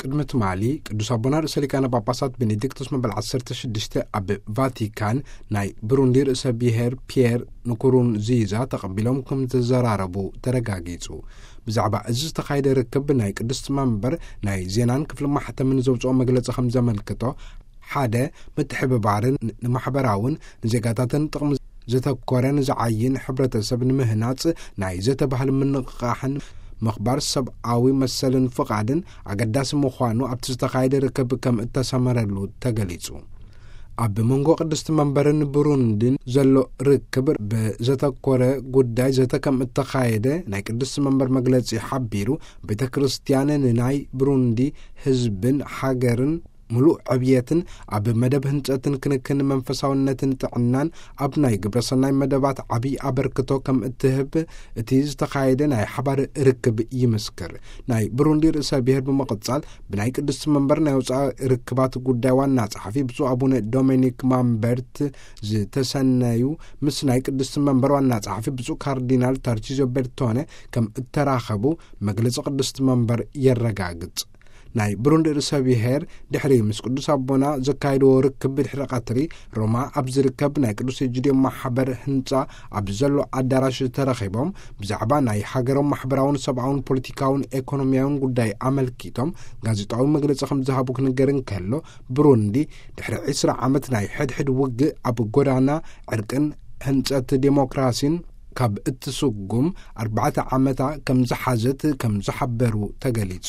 ቅድሚ ትማሊ ቅዱስ ኣቦና ርእሰ ሊቃነ ጳጳሳት ቤኔዲክቶስ መበል ዓሰርተ ሽዱሽተ ኣብ ቫቲካን ናይ ብሩንዲ ርእሰ ብሔር ፒየር ንኩሩንዚዛ ተቐቢሎም ከም ዝተዘራረቡ ተረጋጊጹ። ብዛዕባ እዚ ዝተኻየደ ርክብ ናይ ቅድስቲ መንበር ናይ ዜናን ክፍሊ ማሕተምን ዘውፅኦ መግለጺ ከም ዘመልክቶ፣ ሓደ፣ ምትሕብባርን ንማሕበራውን ንዜጋታትን ጥቕሚ ዘተኮረ ንዝዓይን ሕብረተሰብ ንምህናጽ ናይ ዘተባህል ምንቕቓሕን ምኽባር ሰብኣዊ መሰልን ፍቓድን ኣገዳሲ ምዃኑ ኣብቲ ዝተኻየደ ርክብ ከም እተሰመረሉ ተገሊጹ። ኣብ መንጎ ቅድስቲ መንበርን ብሩንዲን ዘሎ ርክብ ብዘተኮረ ጉዳይ ዘተ ከም እተኻየደ ናይ ቅድስቲ መንበር መግለጺ ሓቢሩ፣ ቤተ ክርስቲያን ንናይ ብሩንዲ ህዝብን ሃገርን ምሉእ ዕብየትን ኣብ መደብ ህንጸትን ክንክን መንፈሳውነትን ጥዕናን ኣብ ናይ ግብረሰናይ መደባት ዓብዪ ኣበርክቶ ከም እትህብ እቲ ዝተኻየደ ናይ ሓባር ርክብ ይምስክር። ናይ ብሩንዲ ርእሰ ብሔር ብምቕጻል ብናይ ቅድስቲ መንበር ናይ ወፃኢ ርክባት ጉዳይ ዋና ጸሓፊ ብፁዕ ኣቡነ ዶሚኒክ ማምበርት ዝተሰነዩ ምስ ናይ ቅድስቲ መንበር ዋና ጸሓፊ ብፁዕ ካርዲናል ታርቺዞ ቤርቶነ ከም እተራኸቡ መግለጺ ቅድስቲ መንበር የረጋግጽ። ናይ ብሩንዲ ርእሰ ብሔር ድሕሪ ምስ ቅዱስ ኣቦና ዘካየድዎ ርክብ ብድሕሪ ቀትሪ ሮማ ኣብ ዝርከብ ናይ ቅዱስ ኤጂድዮ ማሕበር ህንጻ ኣብ ዘሎ ኣዳራሽ ተረኺቦም ብዛዕባ ናይ ሃገሮም ማሕበራውን ሰብኣውን ፖለቲካውን ኤኮኖሚያውን ጉዳይ ኣመልኪቶም ጋዜጣዊ መግለጺ ከም ዝሃቡ ክንገር እንከሎ፣ ብሩንዲ ድሕሪ ዕስራ ዓመት ናይ ሕድሕድ ውግእ ኣብ ጎዳና ዕርቅን ህንጸት ዴሞክራሲን ካብ እትስጉም ኣርባዕተ ዓመታ ከም ዝሓዘት ከም ዝሓበሩ ተገሊጹ።